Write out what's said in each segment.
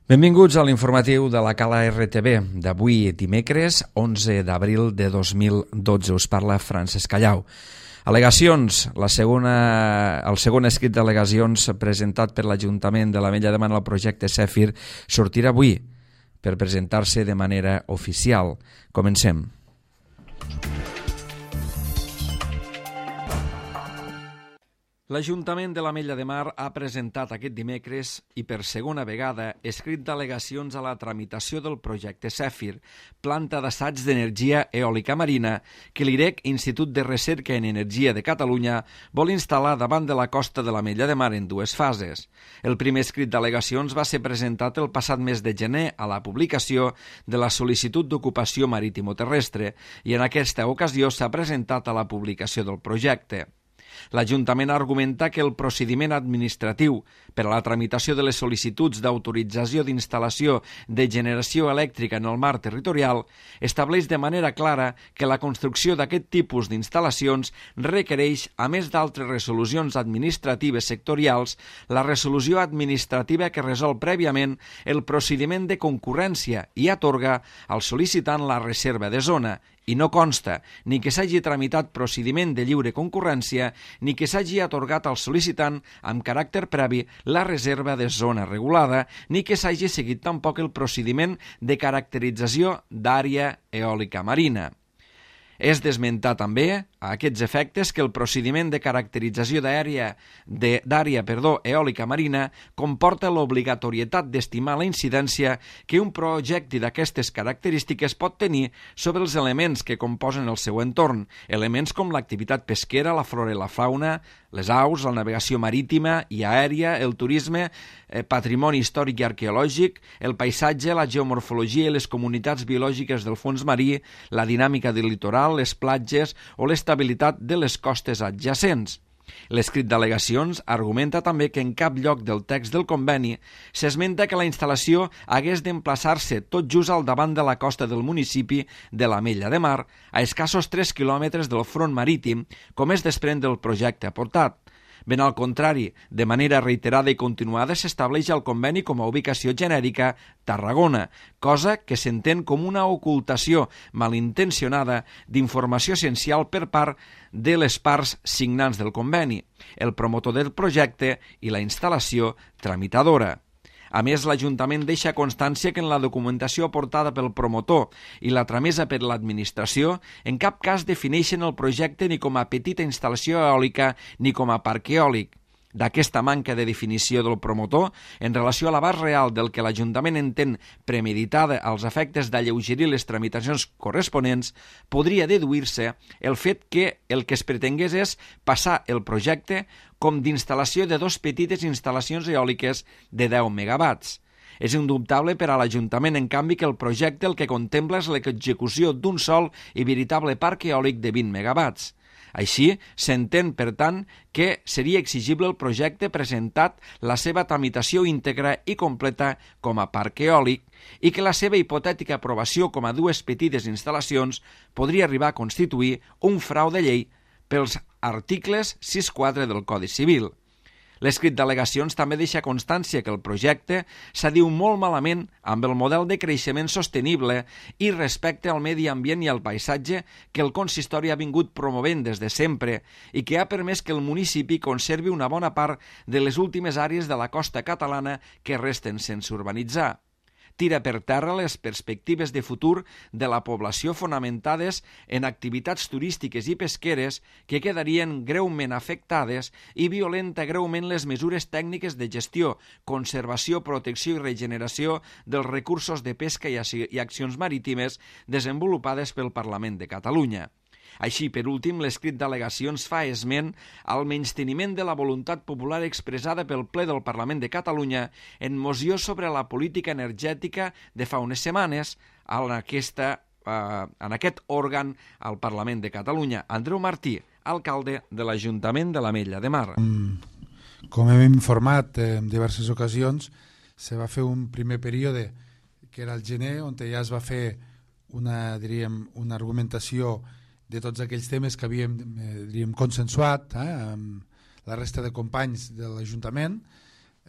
Benvinguts a l'informatiu de la Cala RTV d'avui dimecres 11 d'abril de 2012. Us parla Francesc Callau. Al·legacions. El segon escrit d'al·legacions presentat per l'Ajuntament de l'Ametlla de Mar al projecte Zèfir sortirà avui per presentar-se de manera oficial. Comencem. L'Ajuntament de l'Ametlla de Mar ha presentat aquest dimecres i per segona vegada escrit d'al·legacions a la tramitació del projecte Zèfir, planta d'assaig d'energia eòlica marina que l'IREC, Institut de Recerca en Energia de Catalunya, vol instal·lar davant de la costa de l'Ametlla de Mar en dues fases. El primer escrit d'al·legacions va ser presentat el passat mes de gener a la publicació de la sol·licitud d'ocupació marítimo-terrestre i en aquesta ocasió s'ha presentat a la publicació del projecte. L'Ajuntament argumenta que el procediment administratiu per a la tramitació de les sol·licituds d'autorització d'instal·lació de generació elèctrica en el mar territorial estableix de manera clara que la construcció d'aquest tipus d'instal·lacions requereix, a més d'altres resolucions administratives sectorials, la resolució administrativa que resol prèviament el procediment de concurrència i atorga al sol·licitant la reserva de zona, i no consta ni que s'hagi tramitat procediment de lliure concurrència ni que s'hagi atorgat al sol·licitant amb caràcter previ la reserva de zona regulada ni que s'hagi seguit tampoc el procediment de caracterització d'àrea eòlica marina. És d'esmentar també, a aquests efectes, que el procediment de caracterització d'àrea eòlica marina comporta l'obligatorietat d'estimar la incidència que un projecte d'aquestes característiques pot tenir sobre els elements que composen el seu entorn, elements com l'activitat pesquera, la flora i la fauna, les aus, la navegació marítima i aèria, el turisme, patrimoni històric i arqueològic, el paisatge, la geomorfologia i les comunitats biològiques del fons marí, la dinàmica del litoral, les platges o l'estabilitat de les costes adjacents. L'escrit d'al·legacions argumenta també que en cap lloc del text del conveni s'esmenta que la instal·lació hagués d'emplaçar-se tot just al davant de la costa del municipi de l'Ametlla de Mar, a escassos 3 quilòmetres del front marítim, com es desprèn del projecte aportat. Ben al contrari, de manera reiterada i continuada s'estableix al conveni com a ubicació genèrica Tarragona, cosa que s'entén com una ocultació malintencionada d'informació essencial per part de les parts signants del conveni, el promotor del projecte i la instal·lació tramitadora. A més, l'Ajuntament deixa constància que en la documentació aportada pel promotor i la tramesa per l'administració en cap cas defineixen el projecte ni com a petita instal·lació eòlica ni com a parc eòlic. D'aquesta manca de definició del promotor, en relació a l'abast real del que l'Ajuntament entén premeditada als efectes d'alleugerir les tramitacions corresponents, podria deduir-se el fet que el que es pretengués és passar el projecte com d'instal·lació de dues petites instal·lacions eòliques de 10 megawatts. És indubtable per a l'Ajuntament, en canvi, que el projecte el que contempla és l'execució d'un sol i veritable parc eòlic de 20 megawatts. Així, s'entén, per tant, que seria exigible el projecte presentat la seva tramitació íntegra i completa com a parc eòlic i que la seva hipotètica aprovació com a dues petites instal·lacions podria arribar a constituir un frau de llei pels articles 6.4 del Codi Civil. L'escrit d'al·legacions també deixa constància que el projecte s'adiu molt malament amb el model de creixement sostenible i respecte al medi ambient i al paisatge que el consistori ha vingut promovent des de sempre i que ha permès que el municipi conservi una bona part de les últimes àrees de la costa catalana que resten sense urbanitzar. Tira per terra les perspectives de futur de la població fonamentades en activitats turístiques i pesqueres que quedarien greument afectades i violenta greument les mesures tècniques de gestió, conservació, protecció i regeneració dels recursos de pesca i accions marítimes desenvolupades pel Parlament de Catalunya. Així, per últim, l'escrit d'al·legacions fa esment al menysteniment de la voluntat popular expressada pel ple del Parlament de Catalunya en moció sobre la política energètica de fa unes setmanes en aquest òrgan al Parlament de Catalunya. Andreu Martí, alcalde de l'Ajuntament de l'Ametlla de Mar. Com hem informat en diverses ocasions, se va fer un primer període que era el gener, on ja es va fer una argumentació de tots aquells temes que havíem consensuat amb la resta de companys de l'Ajuntament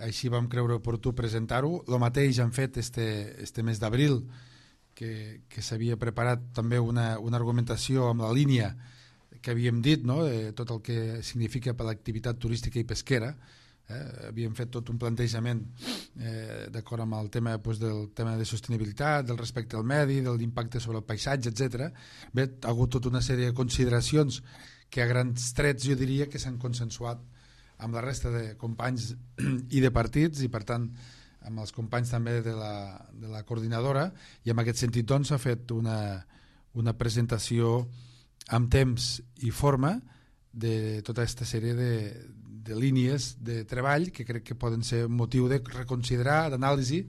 així vam creure oportú presentar-ho. El mateix han fet este mes d'abril, que s'havia preparat també una argumentació amb la línia que havíem dit, no? De tot el que significa per l'activitat turística i pesquera. Havíem fet tot un plantejament d'acord amb el tema, del tema de sostenibilitat, del respecte al medi, de l'impacte sobre el paisatge, etc. Bé, ha hagut tota una sèrie de consideracions que a grans trets jo diria que s'han consensuat amb la resta de companys i de partits, i per tant amb els companys també de la coordinadora, i en aquest sentit doncs s'ha fet una presentació amb temps i forma de tota aquesta sèrie de línies de treball que crec que poden ser motiu de reconsiderar, d'anàlisi,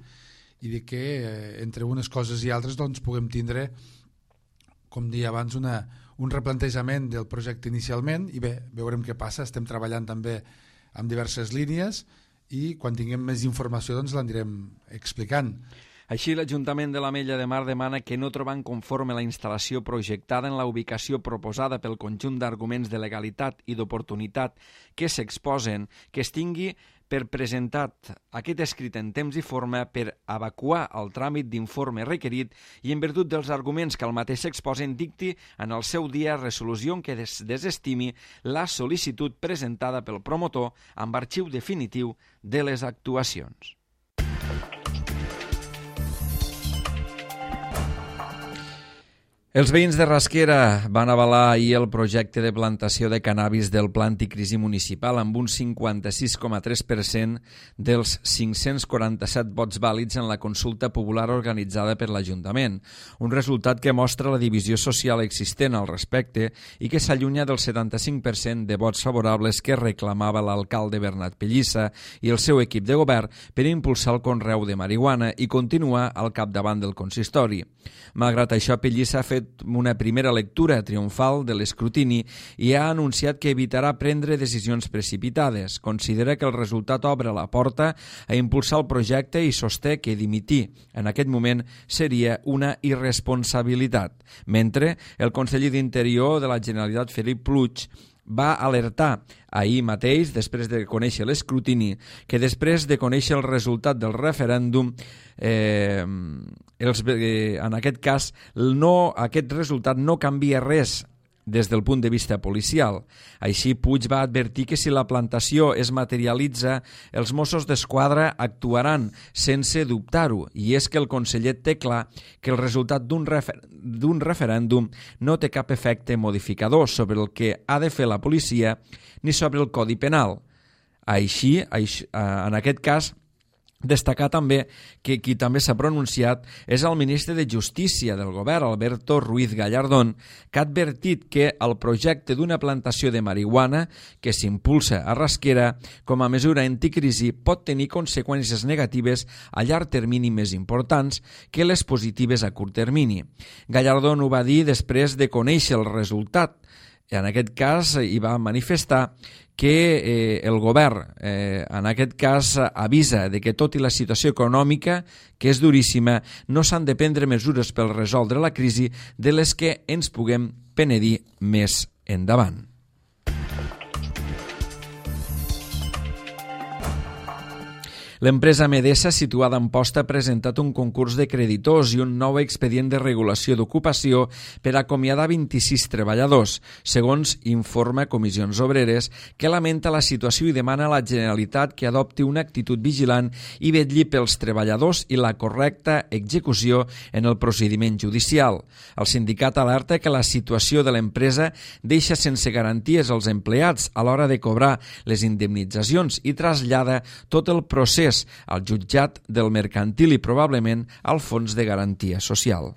i de que entre unes coses i altres doncs puguem tindre, com deia abans, un replantejament del projecte inicialment, i bé, veurem què passa. Estem treballant també amb diverses línies i quan tinguem més informació doncs l'anirem explicant. Així, l'Ajuntament de l'Ametlla de Mar demana que, no trobant conforme la instal·lació projectada en la ubicació proposada pel conjunt d'arguments de legalitat i d'oportunitat que s'exposen, que es tingui per presentat aquest escrit en temps i forma per evacuar el tràmit d'informe requerit i, en virtut dels arguments que el mateix s'exposen, dicti en el seu dia resolució en què desestimi la sol·licitud presentada pel promotor amb arxiu definitiu de les actuacions. Els veïns de Rasquera van avalar ahir el projecte de plantació de cannabis del Pla Anticrisi Municipal amb un 56,3% dels 547 vots vàlids en la consulta popular organitzada per l'Ajuntament, un resultat que mostra la divisió social existent al respecte i que s'allunya del 75% de vots favorables que reclamava l'alcalde Bernat Pellissa i el seu equip de govern per impulsar el conreu de marihuana i continuar al capdavant del consistori. Malgrat això, Pellissa ha fet una primera lectura triomfal de l'escrutini i ha anunciat que evitarà prendre decisions precipitades. Considera que el resultat obre la porta a impulsar el projecte i sosté que dimitir en aquest moment seria una irresponsabilitat. Mentre el conseller d'Interior de la Generalitat, Felip Puig, va alertar ahir mateix, després de conèixer l'escrutini, que després de conèixer el resultat del referèndum, en aquest cas, aquest resultat no canvia res des del punt de vista policial. Així, Puig va advertir que si la plantació es materialitza, els Mossos d'Esquadra actuaran sense dubtar-ho, i és que el conseller té clar que el resultat d'un referèndum no té cap efecte modificador sobre el que ha de fer la policia ni sobre el Codi Penal. Així, en aquest cas, destacar també que qui també s'ha pronunciat és el ministre de Justícia del govern, Alberto Ruiz Gallardón, que ha advertit que el projecte d'una plantació de marihuana que s'impulsa a Rasquera com a mesura anticrisi pot tenir conseqüències negatives a llarg termini més importants que les positives a curt termini. Gallardón ho va dir després de conèixer el resultat. En aquest cas, hi va manifestar que el govern, en aquest cas, avisa de que tot i la situació econòmica, que és duríssima, no s'han de prendre mesures per resoldre la crisi de les que ens puguem penedir més endavant. L'empresa Medesa, situada a Amposta, ha presentat un concurs de creditors i un nou expedient de regulació d'ocupació per acomiadar 26 treballadors, segons informa Comissions Obreres, que lamenta la situació i demana a la Generalitat que adopti una actitud vigilant i vetlli pels treballadors i la correcta execució en el procediment judicial. El sindicat alerta que la situació de l'empresa deixa sense garanties els empleats a l'hora de cobrar les indemnitzacions i trasllada tot el procés al jutjat del mercantil i probablement al Fons de Garantia Social.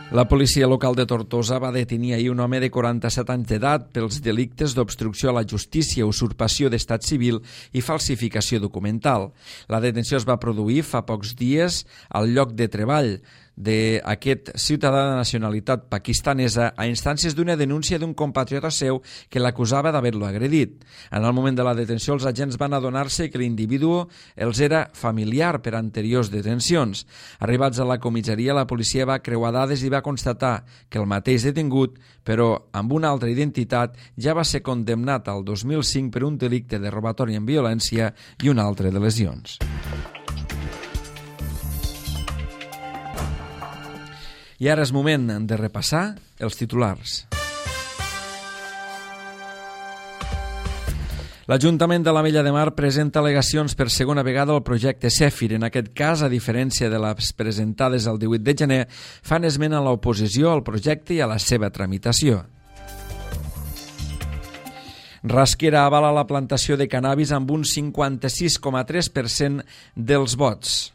La policia local de Tortosa va detenir ahir un home de 47 anys d'edat pels delictes d'obstrucció a la justícia, usurpació d'estat civil i falsificació documental. La detenció es va produir fa pocs dies al lloc de treball d'aquest ciutadà de nacionalitat pakistanesa a instàncies d'una denúncia d'un compatriota seu que l'acusava d'haver-lo agredit. En el moment de la detenció, els agents van adonar-se que l'individu els era familiar per anteriors detencions. Arribats a la comissaria, la policia va creuar dades i va constatar que el mateix detingut, però amb una altra identitat, ja va ser condemnat al 2005 per un delicte de robatori amb violència i un altre de lesions. I ara és moment de repassar els titulars. L'Ajuntament de l'Ametlla de Mar presenta al·legacions per segona vegada al projecte Zèfir. En aquest cas, a diferència de les presentades el 18 de gener, fan esment a l'oposició al projecte i a la seva tramitació. Rasquera avala la plantació de cannabis amb un 56,3% dels vots.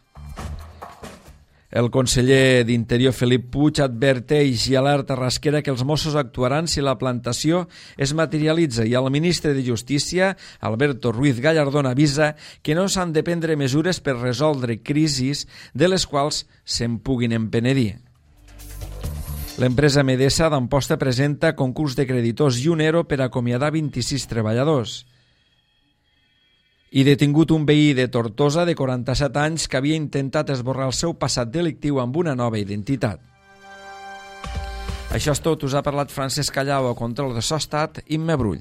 El conseller d'Interior Felip Puig adverteix i alerta Rasquera que els Mossos actuaran si la plantació es materialitza i el ministre de Justícia, Alberto Ruiz Gallardón, avisa que no s'han de prendre mesures per resoldre crisis de les quals se'n puguin empenedir. L'empresa Medesa d'Amposta presenta concurs de creditors i un ERO per acomiadar 26 treballadors. I detingut un veí de Tortosa de 47 anys que havia intentat esborrar el seu passat delictiu amb una nova identitat. Això és tot, us ha parlat Francesc Callau, a control de so estat, Imma Brull.